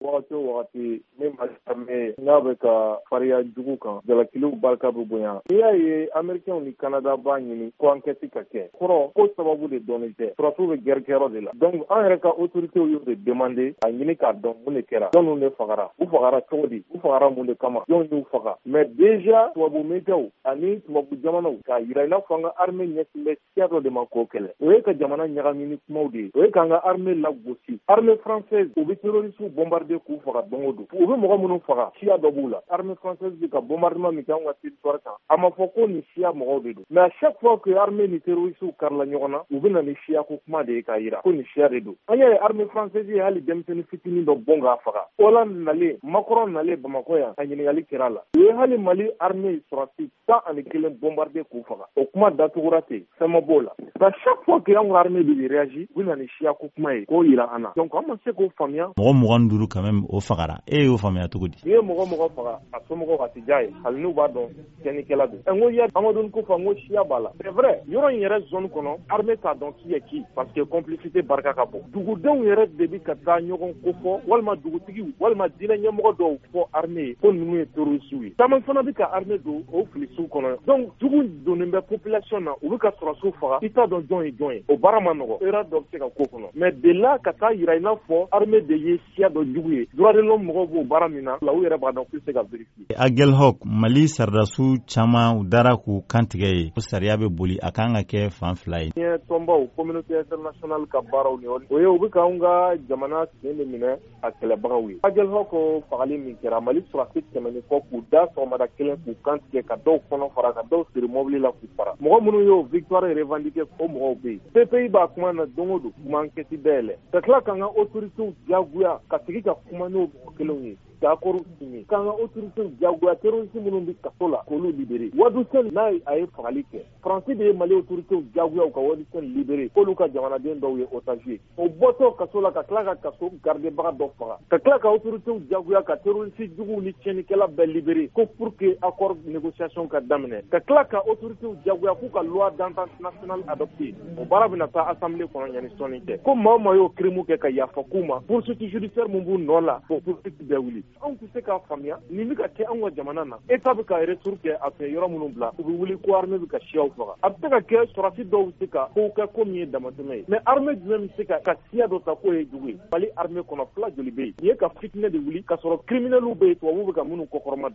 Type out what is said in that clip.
Wagati o wagati ni Mali armée n'a bɛ ka fariya jugu kan, jalakiliw barika bɛ bonya. N'i y'a ye Américains ni Canada b'a ɲini ko enquête ka kɛ, kɔrɔ ko sababu de dɔnnen tɛ. Sɔrɔdasiw bɛ guerre kɛyɔrɔ de la. Donc an yɛrɛ ka autorités y'o de demander a ɲini k'a dɔn mun de kɛra, jɔnniw de fagara, u fagara cogo di, u fagara mun de kama, jɔn y'u faga. Mais déjà tubabu médiaw ani tubabu jamanaw k'a yira i n'a fɔ an ka armée ɲɛsin bɛ siya dɔ de ma k'o kɛlɛ, o ye ka jamana ɲagami ni kumaw de ye, o ye k'an ka armée lagosi. Armée française, u bɛ terroristes bombarder k'u faga don o don. U bɛ mɔgɔ minnu faga, siya dɔ b'u la. Armée française bɛ ka bombardement min kɛ anw ka territoire kan, a ma fɔ ko nin siya mɔgɔw de don. Mais à chaque fois que armée ni terroristes karila ɲɔgɔn na, u bɛ na ni siya ko kuma de ye k'a yira ko nin siya de don. An y'a ye armée française ye hali denmisɛnnin fitinin dɔ bon k'a faga. Hollande nalen, Macron nalen Bamakɔ yan, a ɲininkali kɛra a la. U ye hali Mali armée sɔrɔdasi 11 bombarder k'u faga. O kuma datugura ten, fɛn ma b'o la. À chaque fois que anw ka armée bɛ réagir, u bɛ na ni siya ko kuma ye k'o yira an na. Donc an ma se k'o faamuya. Mɔgɔ 25 quand même o fagara, e y'o faamuya cogo di? N'i ye mɔgɔ mɔgɔ faga, a somɔgɔw a tɛ diya ye, hali n'u b'a dɔn tiɲɛnikɛla don. N ko ya Amadou Koufa, n ko siya b'a la. C'est vrai, yɔrɔ in yɛrɛ zone kɔnɔ, armée t'a dɔn qui est qui parce que complicité barika ka bon. Dugudenw yɛrɛ de bɛ ka taa ɲɔgɔn kofɔ, walima dugutigiw walima diinɛ ɲɛmɔgɔ dɔw fɔ armée ye ko ninnu ye terroristes ye. Caman fana bɛ ka armée don o filisiw kɔnɔ. Donc jugu donnen bɛ population na, u bɛ ka sɔrɔdasiw faga, i t'a dɔn jɔn ye jɔn ye. O baara ma nɔgɔ, erreur dɔ bɛ se ka k'o kɔnɔ. Mais de là ka taa yira i n'a fɔ armée de ye siya dɔ jugu ye, droit de l'homme mɔgɔw b'o baara min na, u yɛrɛ b'a dɔn k'u tɛ se ka vérifier. Aguelhok, Mali sɔrɔdasiw caman u dara k'u kantigɛ ye ko sariya bɛ boli, a kan ka kɛ fan fila ye. Diɲɛ tɔnbaw, communauté internationale ka baaraw ni o ye, u bɛ k'anw ka jamana sen de minɛ a kɛlɛbagaw ye. Aguelhok fagali min kɛra, Mali sɔrɔdasi 100 ni kɔ k'u da sɔgɔmada kelen k'u kantigɛ, ka dɔw kɔnɔ fara, ka dɔw siri mobili la k'u fara. Mɔgɔ minnu y'o victoire revendiquer, o mɔgɔw bɛ yen. CPI b'a kuma na don o don, u ma enquête dayɛlɛ. Ka tila k'an ka autorités diyagoya ka sigi ka kuma n'o mɔgɔ kelenw ye, k'accord signé, k'an ka autorités diyagoya terroriste minnu bɛ kaso la k'olu libérer. Wadu Sène n'a a ye fagali kɛ, Faransi de ye Mali autorités diyagoya u ka Wadu Sène libérer, k'olu ka jamanaden dɔw ye otage ye. O bɔtɔ kaso la ka tila ka kaso gardebaga dɔ faga, ka tila ka autorités diyagoya ka terroriste juguw ni tiɲɛnikɛla bɛɛ libérer ko pour que accord négociation ka daminɛ, ka tila ka autorités diyagoya k'u ka loi d'entente nationale adopter. O baara bɛna taa assemblée kɔnɔ yanni sɔnni cɛ. Ko maa o maa y'o crime kɛ, ka yafa k'u ma, poursuite judiciaire mun b'u nɔ la, k'o poursuite bɛɛ wuli. Anw tɛ se k'a faamuya nin bɛ ka kɛ anw ka jamana na. État bɛ ka retour kɛ a fɛ, yɔrɔ minnu bila, u bɛ wuli ko armée bɛ ka siyaw faga. A bɛ se ka kɛ sɔrɔdasi dɔw bɛ se ka kow kɛ ko min ye damatɛmɛ ye, mais armée jumɛn bɛ se ka siya dɔ ta k'o ye jugu ye? Mali armée kɔnɔ, fila joli bɛ yen? Nin ye ka fitinɛ de wuli ka sɔrɔ criminels bɛ yen, tubabuw bɛ ka minnu kɔkɔrɔma.